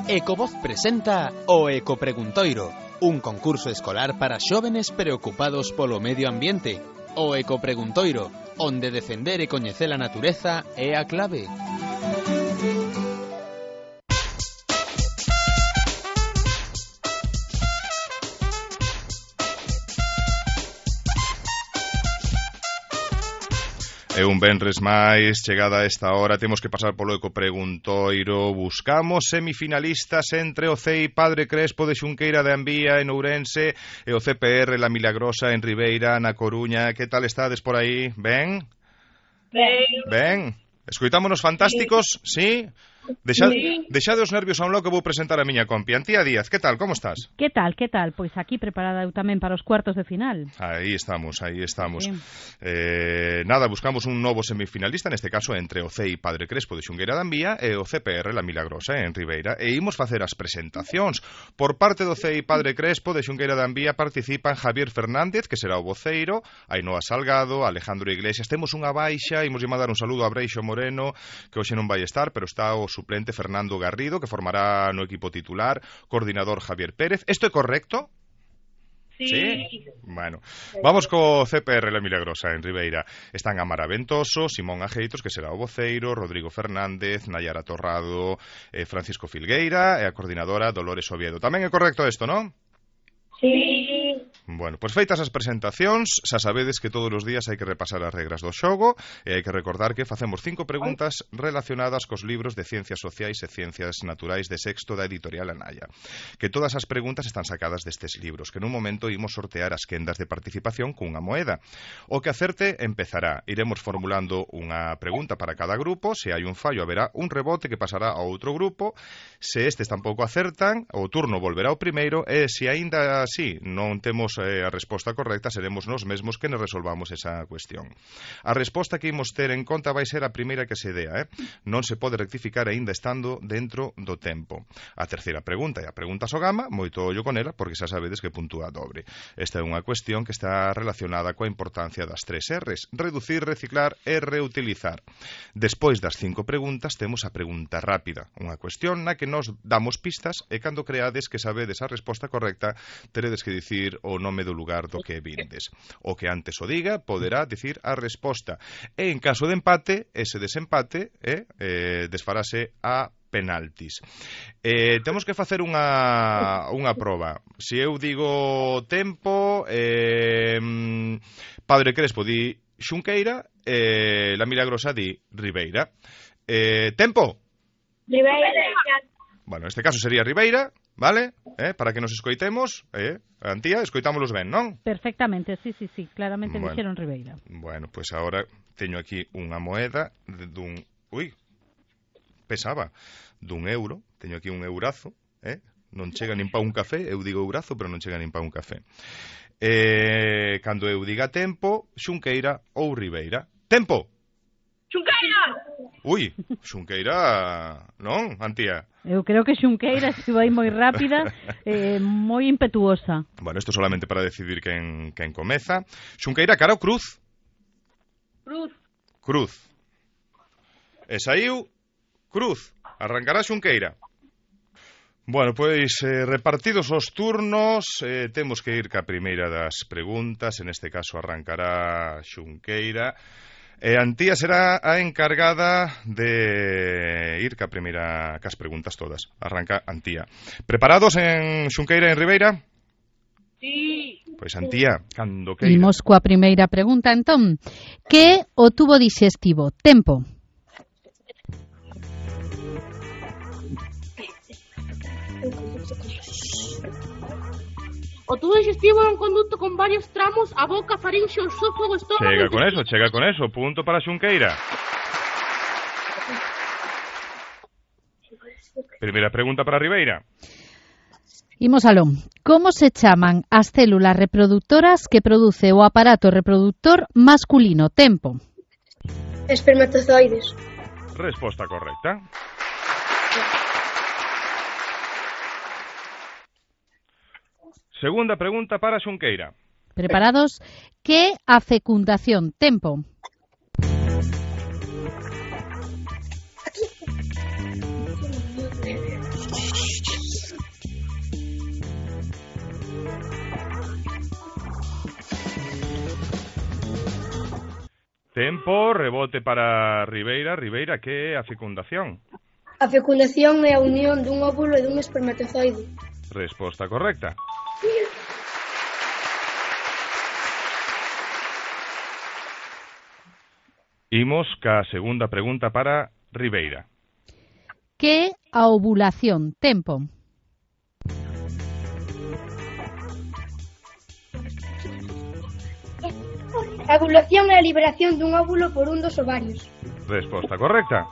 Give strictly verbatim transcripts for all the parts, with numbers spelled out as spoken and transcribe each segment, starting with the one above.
Ecovoz presenta o Ecopreguntoiro, un concurso escolar para xóvenes preocupados polo medio ambiente. O Ecopreguntoiro, onde defender e coñecer a natureza é a clave. E un venres máis, chegada a esta hora, temos que pasar polo Ecopreguntoiro. Buscamos semifinalistas entre o C E I Padre Crespo de Xunqueira de Ambía en Ourense e o C P R La Milagrosa en Ribeira, na Coruña. Que tal estades por aí? Ben? Ben. Ben? Escoitámonos fantásticos? Sí? Deixa, sí. Deixade os nervios a un lado que vou presentar a miña compi. Antía Díaz, que tal? Como estás? Que tal, que tal? Pois aquí preparada eu tamén para os cuartos de final. Aí estamos, aí estamos. Sí. Eh, nada, buscamos un novo semifinalista, neste caso entre o C E I Padre Crespo de Xunqueira de Ambía e o C P R La Milagrosa en Ribeira. E imos facer as presentacións. Por parte do C E I Padre Crespo de Xunqueira de Ambía participan Javier Fernández, que será o voceiro, Ainhoa Salgado, Alejandro Iglesias. Temos unha baixa, imos mandar un saludo a Breixo Moreno, que hoxe non vai estar, pero está o suplente Fernando Garrido, que formará no equipo titular, coordinador Javier Pérez. ¿Esto é correcto? Sí. ¿Sí? Bueno, vamos co C P R La Milagrosa en Ribeira. Están Amara Ventoso, Simón Ajeitos, que será o voceiro, Rodrigo Fernández, Nayara Torrado, eh, Francisco Filgueira e a coordinadora Dolores Oviedo. Tamén é correcto isto, non? Sí. Bueno, pois feitas as presentacións, xa sabedes que todos os días hai que repasar as regras do xogo e hai que recordar que facemos cinco preguntas relacionadas cos libros de Ciencias Sociais e Ciencias Naturais de sexto da editorial Anaya. Que todas as preguntas están sacadas destes libros, que nun momento imos sortear as quendas de participación cunha moeda. O que acerte empezará. Iremos formulando unha pregunta para cada grupo, se hai un fallo haberá un rebote que pasará a outro grupo, se estes tampouco acertan, o turno volverá ao primeiro e se aínda así non temos eh, a resposta correcta, seremos nós mesmos que nos resolvamos esa cuestión. A resposta que imos ter en conta vai ser a primeira que se dea, eh? Non se pode rectificar aínda estando dentro do tempo. A terceira pregunta é a pregunta Sogama, moito ollo con ela, porque xa sabedes que puntúa dobre. Esta é unha cuestión que está relacionada coa importancia das tres R's: reducir, reciclar e reutilizar. Despois das cinco preguntas temos a pregunta rápida, unha cuestión na que nos damos pistas e cando creades que sabedes a resposta correcta, teredes que dicir o nome do lugar do que vindes. O que antes o diga poderá dicir a resposta. E en caso de empate, ese desempate eh, eh, desfarase a penaltis. Eh, temos que facer unha, unha proba. Se eu digo tempo, eh, Padre Crespo di Xunqueira, eh, La Milagrosa di Ribeira. Eh, tempo? Ribeira. Bueno, neste caso sería Ribeira, vale? Eh, para que nos escoitemos, eh, Antía, escoitámolos ben, non? Perfectamente, sí, sí, sí, claramente bueno, dixeron Ribeira. Bueno, pois pues agora teño aquí unha moeda dun, ui, pesaba, dun euro, teño aquí un eurazo, eh? Non chega nin pa un café, eu digo eurazo, pero non chega nin pa un café. Eh, cando eu diga tempo, Xunqueira ou Ribeira. Tempo! Xunqueira! Ui, Xunqueira, non, Antía? Eu creo que Xunqueira estuvo aí moi rápida, eh, moi impetuosa. Bueno, isto solamente para decidir quen, quen comeza. Xunqueira, cara ou cruz? Cruz. Cruz. E saiu cruz. Arrancará Xunqueira. Bueno, pois eh, repartidos os turnos, eh, temos que ir ca primeira das preguntas. En este caso arrancará Xunqueira. E Antía será a encargada de ir ca primeira cas preguntas todas. Arranca Antía. Preparados en Xunqueira e en Ribeira? Sí. Pois Antía, cando queira. Imos coa primeira pregunta, entón. Que é o tubo dixestivo? Tempo. O tubo digestivo é un conducto con varios tramos: a boca, farinxe, o esófago, o estómago... Chega con eso, chega con eso. Punto para Xunqueira. Primeira pregunta para Ribeira. Imos aló. Como se chaman as células reproductoras que produce o aparato reproductor masculino? Tempo. Espermatozoides. Resposta correcta. Segunda pregunta para Xunqueira. Preparados? Que a fecundación? Tempo. Tempo, rebote para Ribeira. Ribeira, que é a fecundación? A fecundación é a unión dun óvulo e dun espermatozoide. Resposta correcta. Imos ca segunda pregunta para Ribeira. Que é a ovulación? Tempo. A ovulación é a liberación dun óvulo por un dos ovarios. Resposta correcta.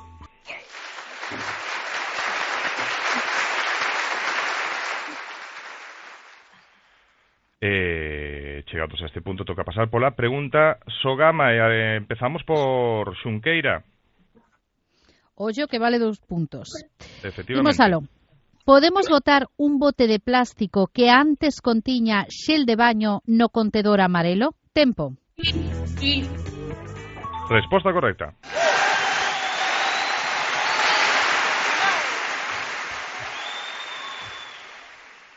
Eh, chegados a este punto, toca pasar pola pregunta Sogama. Eh, empezamos por Xunqueira. Ollo que vale dos puntos. Efectivamente. Imos aló. Podemos botar un bote de plástico que antes contiña xel de baño no contedor amarelo? Tempo. Sí. Resposta correcta.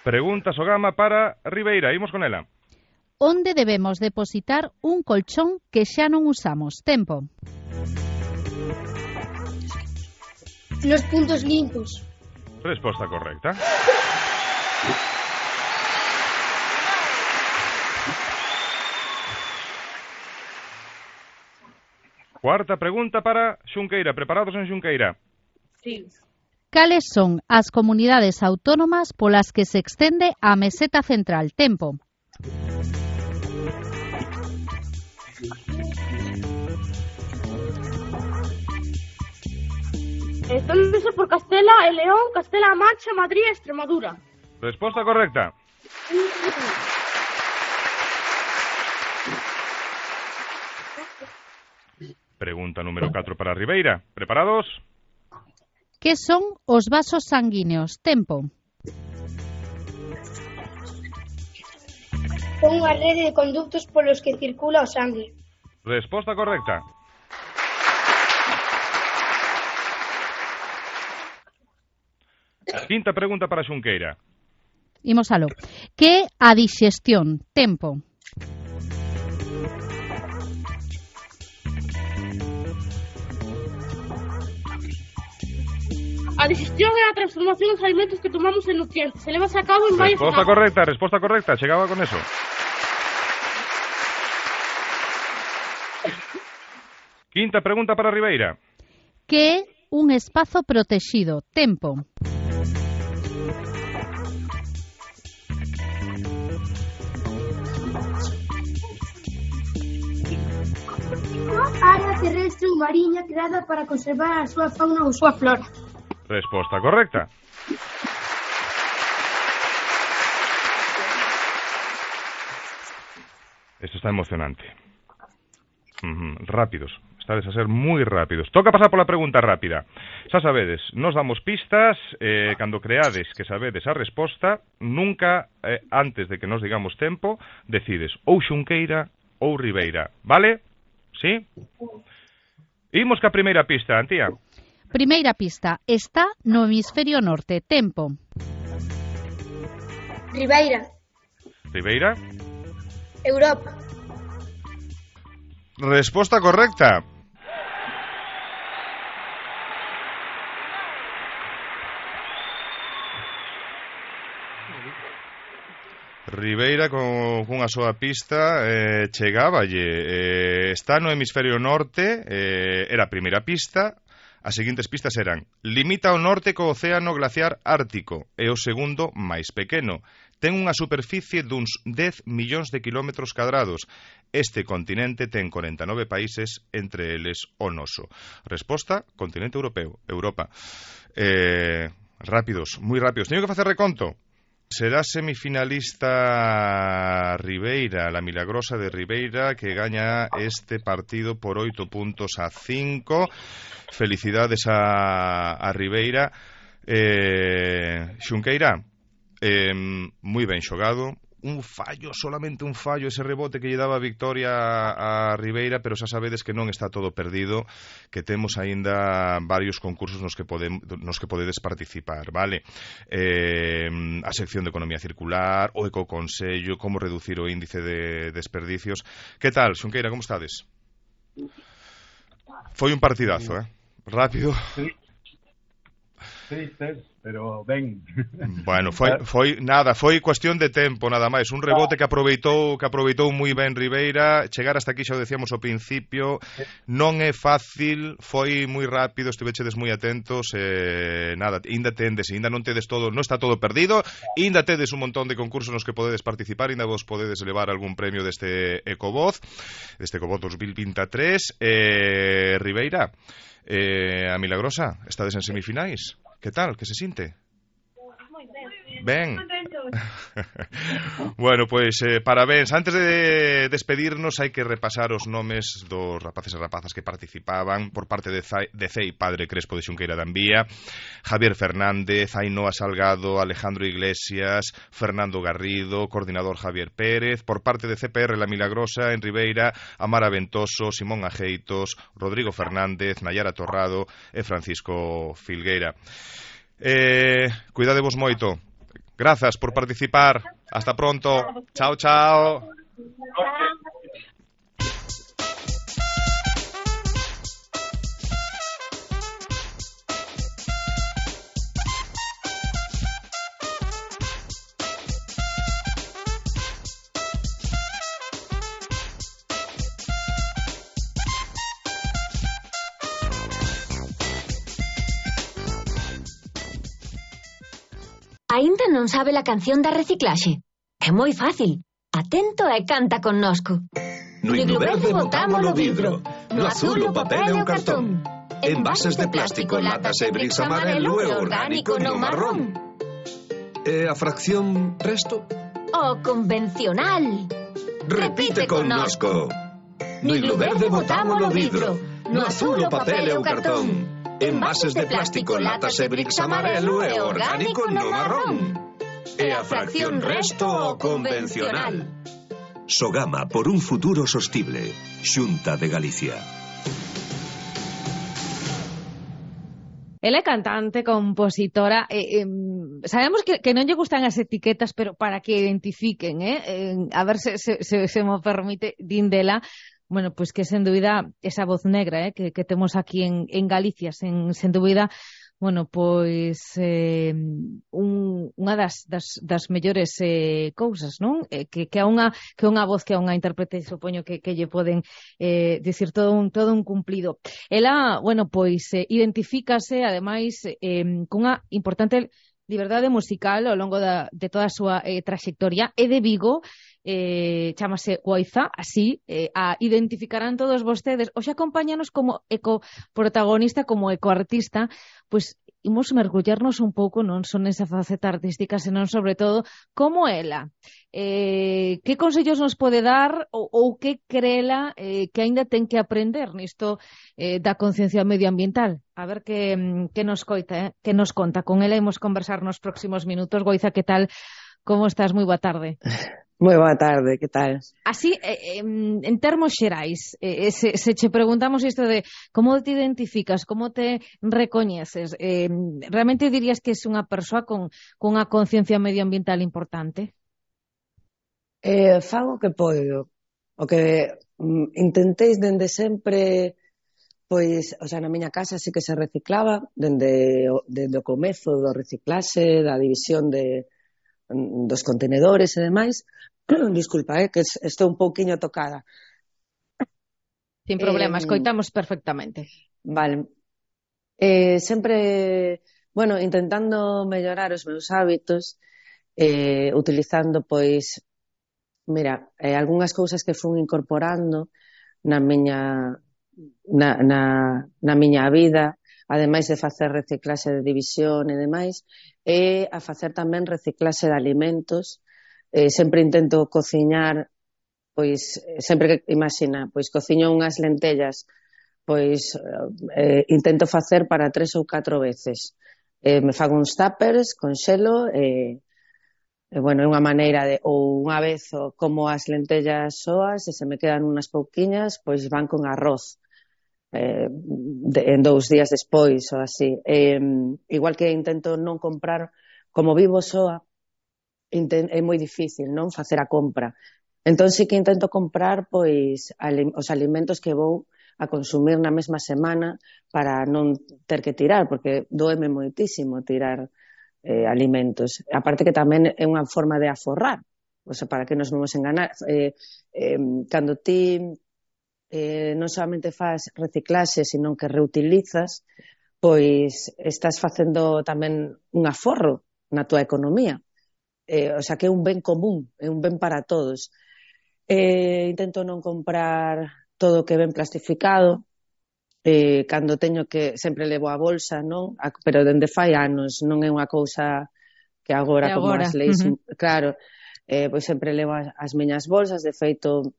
Pregunta Sogama para Ribeira. Imos con ela. Onde debemos depositar un colchón que xa non usamos? Tempo. Nos puntos limpos. Resposta correcta. Cuarta pregunta para Xunqueira. Preparados en Xunqueira? Sí. Cales son as comunidades autónomas polas que se extende a meseta central? Tempo. Estóndese por Castela e León, Castela-A Mancha, Madrid e Extremadura. Resposta correcta. Pregunta número catro para Ribeira. Preparados? Que son os vasos sanguíneos? Tempo. Son unha rede de conductos polos que circula o sangue. Resposta correcta. Quinta pregunta para Xunqueira. Imos aló. Que é a dixestión? Tempo. A digestión é a transformación dos alimentos que tomamos en nutrientes. Se leva a cabo en varias Resposta etapas. correcta, resposta correcta. Chegaba con eso. Quinta pregunta para Ribeira. Que é un espazo protexido? Tempo. Área terrestre ou mariña creada para conservar a súa fauna ou súa flora. Resposta correcta. Esto está emocionante. Uh-huh. Rápidos. Estades a ser moi rápidos. Toca pasar pola pregunta rápida. Xa sabedes, nos damos pistas, eh, cando creades que sabedes a resposta, nunca, eh, antes de que nos digamos tempo, decides ou Xunqueira ou Ribeira. Vale? Sí? Imos ca primeira pista, Antía. Primeira pista. Está no hemisferio norte. Tempo. Ribeira. Ribeira. Europa. Resposta correcta. Ribeira con cunha soa pista eh, chegáballe. Eh, está no hemisferio norte, eh, era a primeira pista. As seguintes pistas eran: limita ao norte co océano glaciar ártico, é o segundo máis pequeno. Ten unha superficie duns dez millóns de kilómetros cadrados. Este continente ten corenta e nove países, entre eles o noso. Resposta: continente europeo, Europa. Eh, rápidos, moi rápidos. Teño que facer reconto. Será semifinalista Ribeira, la milagrosa de Ribeira, que gaña este partido por oito puntos a cinco. Felicidades a, a Ribeira. eh, Xunqueira, eh, moi ben xogado. Un fallo, solamente un fallo, ese rebote que lle daba a victoria a, a Ribeira, pero xa sabedes que non está todo perdido, que temos aínda varios concursos nos que, podem, nos que podedes participar, vale? Eh, a sección de economía circular, o ecoconsello, como reducir o índice de desperdicios. Que tal, Xunqueira, como estades? Foi un partidazo, eh? Rápido. Sí, sí, sí, pero ben. Bueno, foi, foi nada, foi cuestión de tempo nada máis, un rebote que aproveitou que aproveitou moi ben Ribeira, chegar hasta aquí xa o decíamos ao principio, non é fácil, foi moi rápido, estivechedes moi atentos, eh, nada, ainda tendes, ainda non tedes todo, non está todo perdido, ainda tedes un montón de concursos nos que podedes participar, ainda vos podedes levar algún premio deste Ecovoz, deste Ecovoz dos mil veintitrés, eh, Ribeira, eh, a Milagrosa, estades en semifinais. Que tal? Que se sinte? Ben. Bueno, pois pues, eh, parabéns. Antes de despedirnos hai que repasar os nomes dos rapaces e rapazas que participaban por parte de, Zai, de C E I Padre Crespo de Xunqueira da Envía, Javier Fernández, Ainhoa Salgado, Alejandro Iglesias, Fernando Garrido, coordinador Javier Pérez, por parte de C P R La Milagrosa en Ribeira, Amara Ventoso, Simón Ajeitos, Rodrigo Fernández, Nayara Torrado e Francisco Filgueira. Eh, cuidadevos moito. Grazas por participar. Hasta pronto. Chao, chao. Aínda non sabe a canción da reciclaxe? É moi fácil. Atento e canta connosco. No himno verde botámolo vidro, no azul o papel e o cartón. Envases de plástico, latas e bricks amarelo e orgánico no marrón. E a fracción resto? O convencional. Repite connosco. No himno verde botámolo vidro, no azul o papel e o cartón. Envases de plástico, latas e bricks amarelo e orgánico no marrón. E a fracción resto o convencional. Sogama por un futuro sostible. Xunta de Galicia. Ela é cantante, compositora, eh, eh, sabemos que, que non lle gustan as etiquetas, pero para que identifiquen, eh, eh a ver se, se, se, se me permite, din dela. Bueno, pues que sen dúbida esa voz negra eh, que, que temos aquí en, en Galicia, sen, sen dúbida, bueno, pois eh, un, unha das, das, das mellores eh, cousas, non? Eh, que, que é unha que é unha voz, que é unha intérprete, supoño que, que lle poden eh, dicir todo un, todo un cumplido. Ela, bueno, pois eh, identifícase, ademais, eh, cunha importante liberdade musical ao longo da, de toda a súa eh, trayectoria, é de Vigo, eh, chámase Guaiza, así, eh, a identificarán todos vostedes. Hoxe acompáñanos como ecoprotagonista, como ecoartista, pois imos mergullarnos un pouco non son esa faceta artística, senón sobre todo como ela. Eh, que consellos nos pode dar ou, ou que crela eh, que aínda ten que aprender nisto eh, da conciencia medioambiental? A ver que, que nos coita, eh? que nos conta. Con ela imos conversar nos próximos minutos. Goiza, que tal? Como estás? Moi boa tarde. Moi boa tarde, que tal? Así, eh, en termos xerais, eh, se, se che preguntamos isto de como te identificas, como te recoñeces, eh, realmente dirías que es unha persoa con, con unha conciencia medioambiental importante? Eh, fago o que podo. O que mm, intentéis dende sempre, pois, o sea, na miña casa sí que se reciclaba, dende, dende o comezo do reciclaxe, da división de dos contenedores e demais. Disculpa, eh, que estou un pouquiño tocada. Sin problema, eh, escoitamos perfectamente. Vale. Eh, sempre, bueno, intentando mellorar os meus hábitos, eh, utilizando, pois, mira, eh, algunhas cousas que fun incorporando na miña na, na, na miña vida, ademais de facer reciclaxe de división e demais, e a facer tamén reciclaxe de alimentos. Eh, sempre intento cociñar, pois, sempre que, imagina, pois cociño unhas lentellas, pois eh, intento facer para tres ou catro veces. Eh, me fago uns tuppers con xelo e, e bueno, é unha maneira de, ou unha vez como as lentellas soas e se me quedan unhas pouquiñas, pois van con arroz. Eh, de, en dous días despois ou así, eh, igual que intento non comprar, como vivo soa, inten, é moi difícil non facer a compra, entón sí que intento comprar pois alim, os alimentos que vou a consumir na mesma semana para non ter que tirar, porque doeme moitísimo tirar eh, alimentos. Aparte que tamén é unha forma de aforrar, o sea, para que nos non nos enganar. Eh, eh, cando ti eh, non solamente faz reciclaxe, sino que reutilizas, pois estás facendo tamén un aforro na túa economía. Eh, o sea, que é un ben común, é un ben para todos. Eh, intento non comprar todo o que ven plastificado, eh, cando teño que, sempre levo a bolsa, non? A, pero dende fai anos, non é unha cousa que agora, que como agora. as leis, Uh-huh. claro, eh, pois sempre levo as, as miñas bolsas, de feito,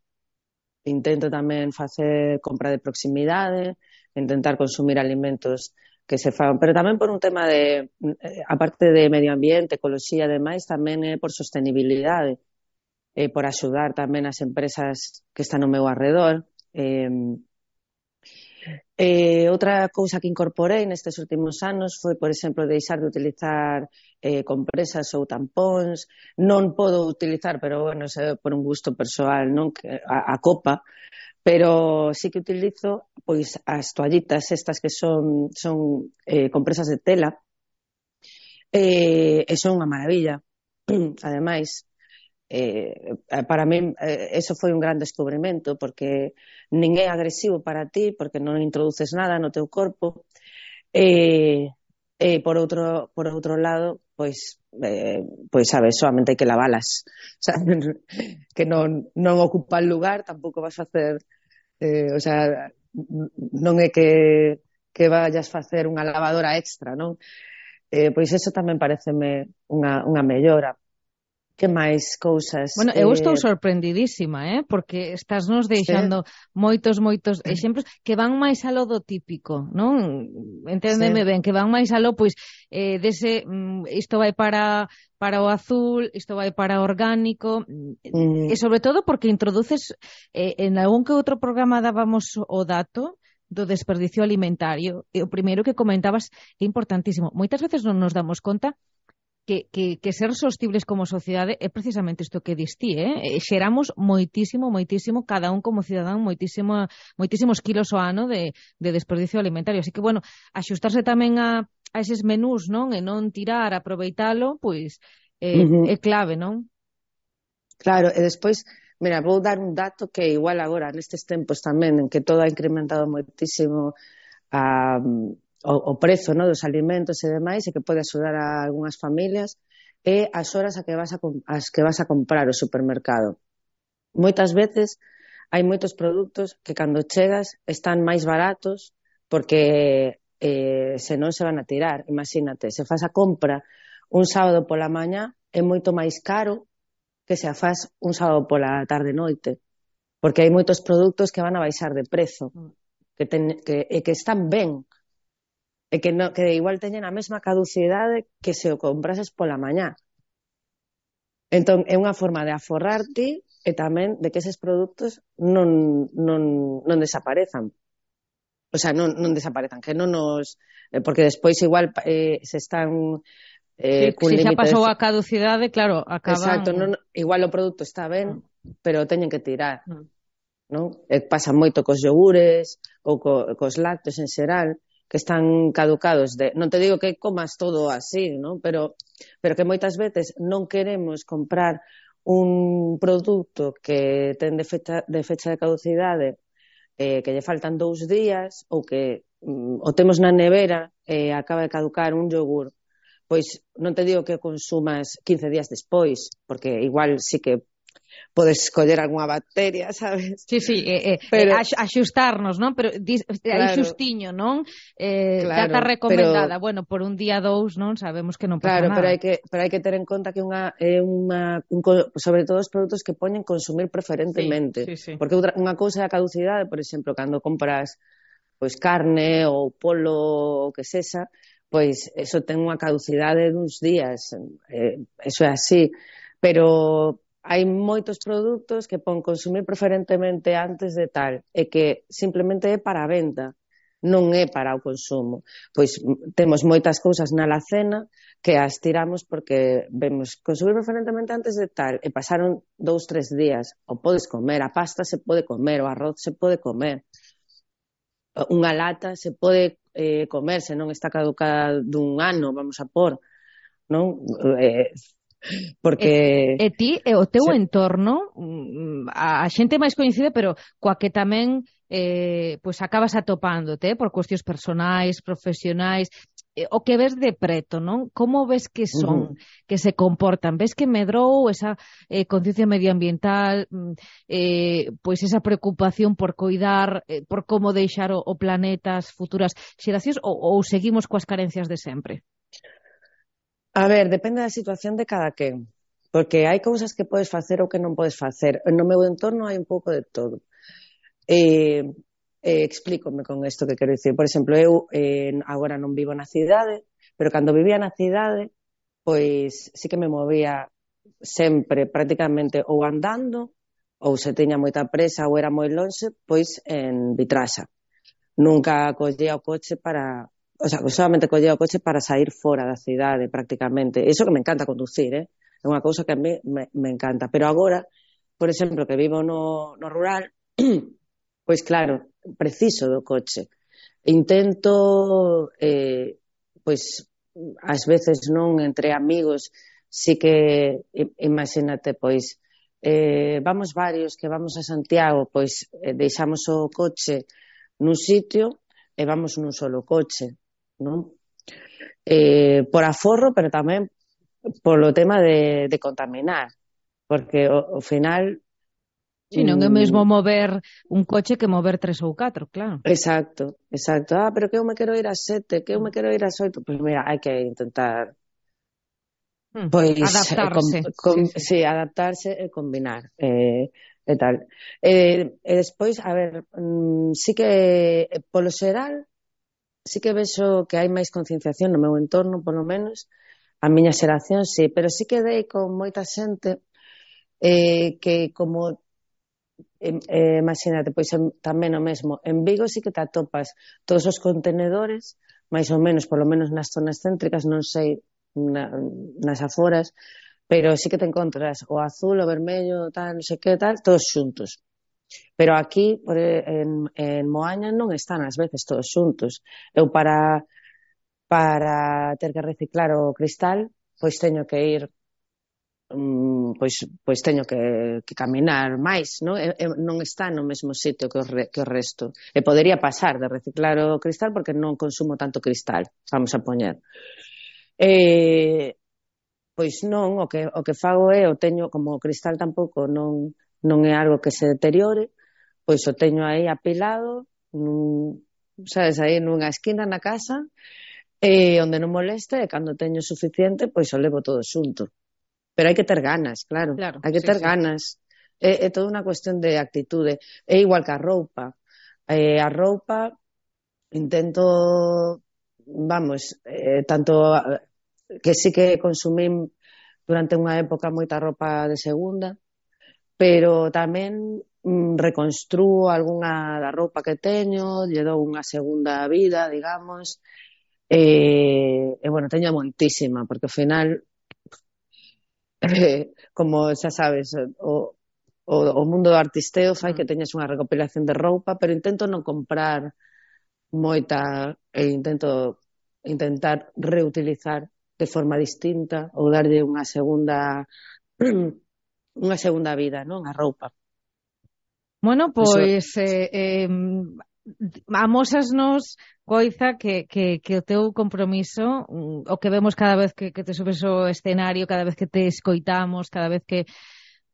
intento tamén facer compra de proximidade, intentar consumir alimentos que se fan, pero tamén por un tema de, aparte de medio ambiente, ecoloxía e demais, tamén é por sostenibilidade, eh, por axudar tamén as empresas que están no meu arredor. Eh, eh, outra cousa que incorporei nestes últimos anos foi, por exemplo, deixar de utilizar eh, compresas ou tampóns. Non podo utilizar, pero bueno, é por un gusto persoal, non, a, a copa, pero sí que utilizo pois as toallitas estas que son son eh, compresas de tela, eh, e son unha maravilla. Ademais, eh, para mí eh, eso foi un gran descubrimento, porque nin é agresivo para ti, porque non introduces nada no teu corpo, e eh, eh, por outro por outro lado, pois eh, pois sabes, solamente hai que lavalas, o sea, que non non ocupan lugar, tampouco vas a facer Eh, o sea, non é que, que vayas facer unha lavadora extra, non? Eh, pois eso tamén pareceme unha, unha mellora. Que máis cousas? Bueno, eu eh... estou sorprendidísima, eh? Porque estás nos deixando sí. moitos, moitos exemplos que van máis aló do típico, non? Enténdeme sí. ben, que van máis aló, pois, eh, dese, mm, isto vai para... para o azul, isto vai para o orgánico, mm. e sobre todo porque introduces, eh, en algún que outro programa dábamos o dato do desperdicio alimentario, e o primeiro que comentabas é importantísimo. Moitas veces non nos damos conta que, que, que ser sostibles como sociedade é precisamente isto que dis ti, eh? Xeramos moitísimo, moitísimo, cada un como cidadán, moitísimo, moitísimos kilos ao ano de, de desperdicio alimentario. Así que, bueno, axustarse tamén a a eses menús, non? E non tirar, aproveitalo, pois eh, uh-huh. é clave, non? Claro, e despois, mira, vou dar un dato que igual agora, nestes tempos tamén, en que todo ha incrementado moitísimo a, o, o prezo, non, dos alimentos e demais, e que pode axudar a algunhas familias, é as horas a que vas a, as que vas a comprar o supermercado. Moitas veces hai moitos produtos que cando chegas están máis baratos porque Eh, se non se van a tirar. Imagínate, se faz a compra un sábado pola mañá é moito máis caro que se a faz un sábado pola tarde noite, porque hai moitos produtos que van a baixar de prezo, que, ten, que, e que están ben, e que, no, que igual teñen a mesma caducidade que se o comprases pola mañá. Entón é unha forma de aforrarte e tamén de que eses produtos non, non, non desaparezan. O sea, non, non desaparezan, que non nos... Eh, porque despois igual eh, se están... Eh, sí, se xa pasou de... a caducidade, claro, acaban... Exacto, non, igual o produto está ben, mm. pero teñen que tirar. Mm. Non? Eh, pasa moito cos yogures ou co, cos lácteos en xeral, que están caducados. De... Non te digo que comas todo así, non? Pero, pero que moitas veces non queremos comprar un produto que ten de fecha de, fecha de caducidade, Eh, que lle faltan dous días ou que mm, o temos na nevera e eh, acaba de caducar un yogur, pois non te digo que o consumas quince días despois, porque igual sí que podes coller algunha bacteria, sabes? Sí, sí, eh, eh, pero, axustarnos, non? Pero dis, claro, hai xustiño, non? Eh, claro, data recomendada, pero, bueno, por un día dous, non? Sabemos que non pasa claro, nada. Claro, pero hai que pero hai que ter en conta que unha é unha un, sobre todo os produtos que poñen consumir preferentemente, sí, sí, sí. Porque outra, unha cousa é a caducidade, por exemplo, cando compras pois carne ou polo o que sexa, pois eso ten unha caducidade duns días, eh, eso é así, pero hai moitos produtos que pon consumir preferentemente antes de tal, e que simplemente é para a venda, non é para o consumo. Pois temos moitas cousas na alacena que as tiramos porque vemos consumir preferentemente antes de tal, e pasaron dous, tres días, o podes comer, a pasta se pode comer, o arroz se pode comer. unha lata se pode eh, comerse, non está caducada dun ano, vamos a por, non? Eh, porque... E, e ti, e o teu se... entorno, a, a xente máis coñecida, pero coa que tamén eh, pois acabas atopándote, eh, por cuestións personais, profesionais, eh, o que ves de preto, non? Como ves que son, uh-huh. que se comportan? Ves que medrou esa eh, conciencia medioambiental, eh, pois esa preocupación por coidar, eh, por como deixar o, o planeta as futuras xeracións, ou, ou seguimos coas carencias de sempre? A ver, depende da situación de cada quen, porque hai cousas que podes facer ou que non podes facer. No meu entorno hai un pouco de todo. Eh, eh, explícome con isto que quero dicir. Por exemplo, eu eh, agora non vivo na cidade, pero cando vivía na cidade, pois sí que me movía sempre, prácticamente, ou andando, ou se teña moita presa ou era moi lonxe, pois en Vitrasa. Nunca collía o coche para... O sea, solamente collía o coche para sair fora da cidade, prácticamente. Iso que me encanta conducir, eh? É unha cousa que a mí me, me encanta. Pero agora, por exemplo, que vivo no, no rural, pois claro, preciso do coche. Intento, eh, pois, ás veces non entre amigos, sí que, imagínate, pois, eh, vamos varios que vamos a Santiago, pois eh, deixamos o coche nun sitio e vamos nun solo coche, non? Eh, por aforro, pero tamén polo tema de, de contaminar, porque ao final... Si, non é mesmo mover un coche que mover tres ou catro, claro. Exacto, exacto. Ah, pero que eu me quero ir a sete, que eu me quero ir a oito. Pois mira, hai que intentar hmm, pois, adaptarse. Com, com, sí, sí. sí, adaptarse e combinar. Eh, e tal. Eh, e despois, a ver, mm, sí que polo xeral sí que vexo que hai máis concienciación no meu entorno, polo menos, a miña xeración, sí, pero sí que dei con moita xente eh, que como eh, eh, imagínate, pois en, tamén o mesmo, en Vigo sí que te atopas todos os contenedores, máis ou menos, polo menos nas zonas céntricas, non sei, na, nas aforas, pero sí que te encontras o azul, o vermello, tal, non sei que tal, todos xuntos. Pero aquí, por, en, en Moaña, non están ás veces todos xuntos. Eu para para ter que reciclar o cristal, pois teño que ir, um, pois, pois teño que, que caminar máis, non? E, e, non está no mesmo sitio que o, re, que o resto. E podería pasar de reciclar o cristal porque non consumo tanto cristal, vamos a poñer. E, pois non, o que, o que fago é, o teño, como o cristal tampouco non... non é algo que se deteriore, pois o teño aí apilado, nun, sabes, aí nunha esquina na casa, e onde non moleste, e cando teño suficiente, pois o levo todo xunto. Pero hai que ter ganas, claro, claro hai que sí, ter sí. ganas. É, é toda unha cuestión de actitude. É igual que a roupa. Eh, a roupa, intento, vamos, eh, tanto que sí que consumín durante unha época moita roupa de segunda, pero tamén mm, reconstrúo algunha da roupa que teño, lle dou unha segunda vida, digamos, e, e bueno, teño moitísima, porque ao final, eh, como xa sabes, o, o, o mundo do artisteo fai que teñas unha recopilación de roupa, pero intento non comprar moita, e intento intentar reutilizar de forma distinta ou darlle unha segunda... unha segunda vida, non? A roupa. Bueno, pois eh, eh, amósasnos, Coiza, que, que, que o teu compromiso, o que vemos cada vez que, que te subes ao escenario, cada vez que te escoitamos, cada vez que,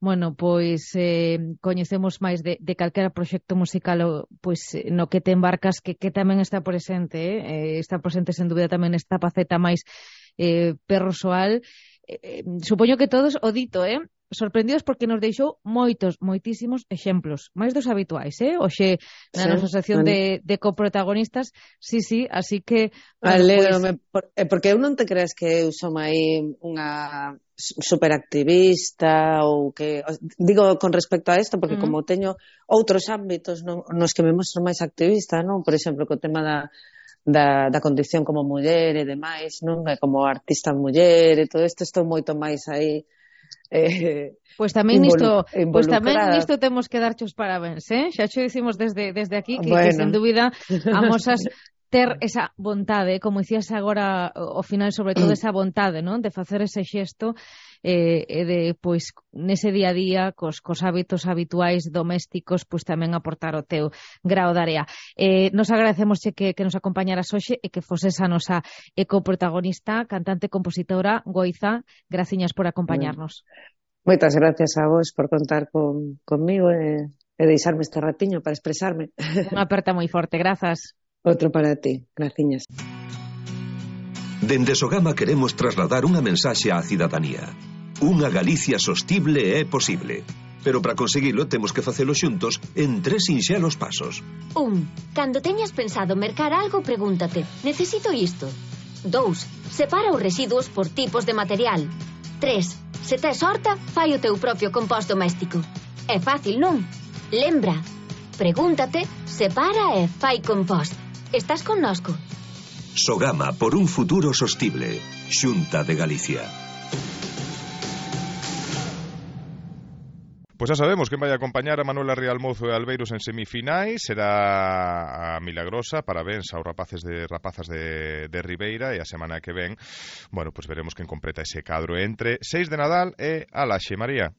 bueno, pois eh, coñecemos máis de, de calquera proxecto musical pois no que te embarcas, que, que tamén está presente, eh? está presente sen dúbida tamén esta faceta máis eh, persoal. Eh, supoño que todos o dito, eh? sorprendidos porque nos deixou moitos, moitísimos exemplos, máis dos habituais, eh? Oxe, na sí, nosa sección bueno. de, de coprotagonistas, sí, sí, así que... Bueno, Alégrome, pues... por, porque eu non te crees que eu som aí unha superactivista ou que... Digo con respecto a isto, porque uh -huh. como teño outros ámbitos no, nos que me mostro máis activista, non? Por exemplo, co tema da... Da, da condición como muller e demais, non? Como artista muller e todo isto, estou moito máis aí eh, Pois tamén nisto, involu pois tamén involucrada. nisto temos que darche os parabéns, eh? Xa xo dicimos desde, desde aquí que, Bueno. que sen dúbida amosas ter esa vontade, como dicías agora ao final, sobre todo esa vontade, non? De facer ese xesto eh, e de, pois, nese día a día, cos, cos hábitos habituais domésticos, pois tamén aportar o teu grao de area. Eh, nos agradecemos que, que nos acompañaras hoxe e que foses a nosa ecoprotagonista, cantante, compositora, Goiza. Graciñas por acompañarnos. Moitas gracias a vos por contar con, conmigo e, e deixarme este ratiño para expresarme. Unha aperta moi forte, grazas. Outro para ti, graciñas. Dende Sogama queremos trasladar unha mensaxe á cidadanía. Unha Galicia sostible é posible. Pero para conseguilo temos que facelo xuntos en tres sinxelos pasos. Un, cando teñas pensado mercar algo, pregúntate, necesito isto? Dous, separa os residuos por tipos de material. Tres, se tes horta, fai o teu propio compost doméstico. É fácil, non? Lembra, pregúntate, separa e fai compost. Estás connosco? Sogama por un futuro sostible. Xunta de Galicia. Pois xa sabemos quen vai acompañar a Manuela Rialmozo e Albeiros en semifinais. Será a Milagrosa. Parabéns aos rapaces de rapazas de, de Ribeira. E a semana que ven, bueno, pois veremos quen completa ese cadro entre seis de Nadal e Alaxe. María.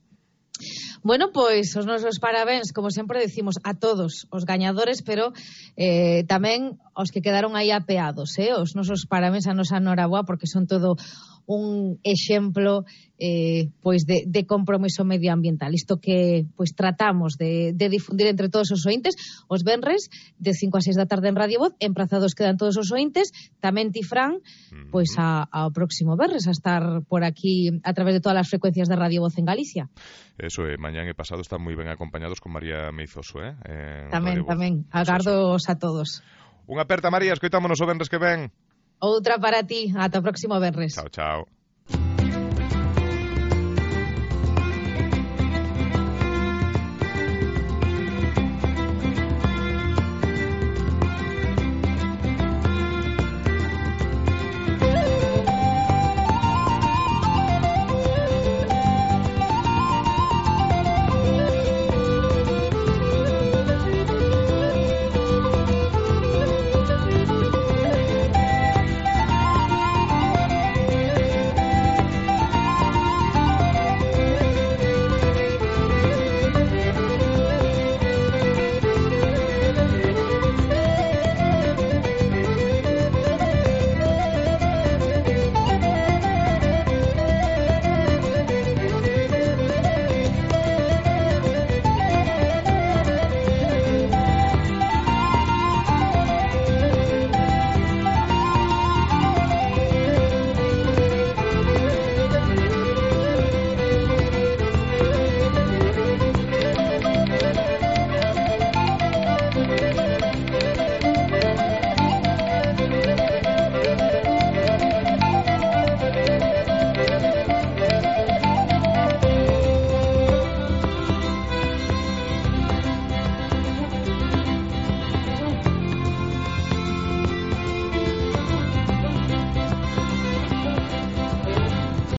Bueno, pois os nosos parabéns, como sempre decimos, a todos os gañadores, pero eh, tamén os que quedaron aí apeados, eh? Os nosos parabéns a nosa Noraboa, porque son todo un exemplo eh, pois de, de compromiso medioambiental. Isto que pois tratamos de, de difundir entre todos os ointes, os venres de cinco a seis da tarde en Radio Voz, emprazados quedan todos os ointes, tamén ti, Fran, pois a, ao próximo venres, a estar por aquí a través de todas as frecuencias de Radio Voz en Galicia. Eso, eh, mañán e pasado están moi ben acompañados con María Meizoso, eh? En tamén, tamén, agardos a todos. Unha aperta, María, escoitámonos o venres que ven. Outra para ti, ata o próximo venres. Chao, chao.